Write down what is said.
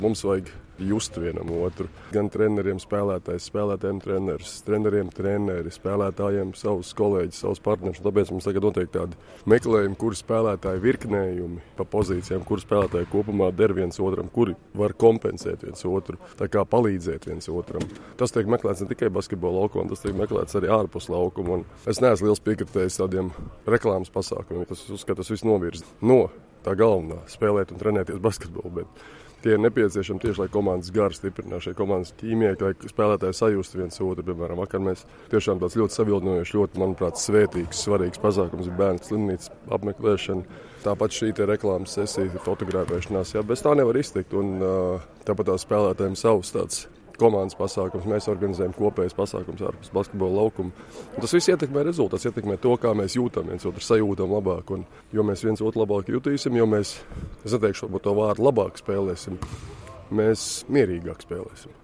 Mums vajag just vienam otru. Gan treneriem spēlētājs, spēlētājiem treneris, treneriem treneri, spēlētājiem savus kolēģus, savus partnerus. Tāpēc mums tagad notiek tādi meklējumi, kuri spēlētāji virknējumi pa pozīcijām, kuri spēlētāji kopumā der viens otram, kuri var kompensēt viens otru, tā kā palīdzēt viens otram. Tas tiek meklēts ne tikai basketbola laukumā, tas tiek meklēts arī ārpus laukuma. Un es neesmu liels piekritējis tādiem reklāmas pasākumiem, tas uzskatu, tas viss novirza no tā galvenā spēlēt un trenēties basketbolu, bet tie ir nepieciešami tieši, lai komandas garu stiprinātu, šai komandas ķīmijai, lai spēlētāji sajustu viens otru. Piemēram, vakar mēs tiešām tāds ļoti savilnojošs, ļoti, manuprāt, svētīgs, svarīgs pasākums ir bērnu slimnīcas apmeklēšana. Tāpat šī reklāmas sesija, fotografēšanās, bez tā nevar iztikt. Un tāpat tās spēlētājiem savus tāds komandas pasākums, mēs organizējam kopējas pasākums ārpus basketbola laukuma. Un tas viss ietekmē rezultāts, ietekmē to, kā mēs jūtam viens otru, sajūtam labāk. Un jo mēs viens otru labāk jutīsim, jo mēs, es neteikšu, varbūt to vārdu labāk spēlēsim, mēs mierīgāk spēlēsim.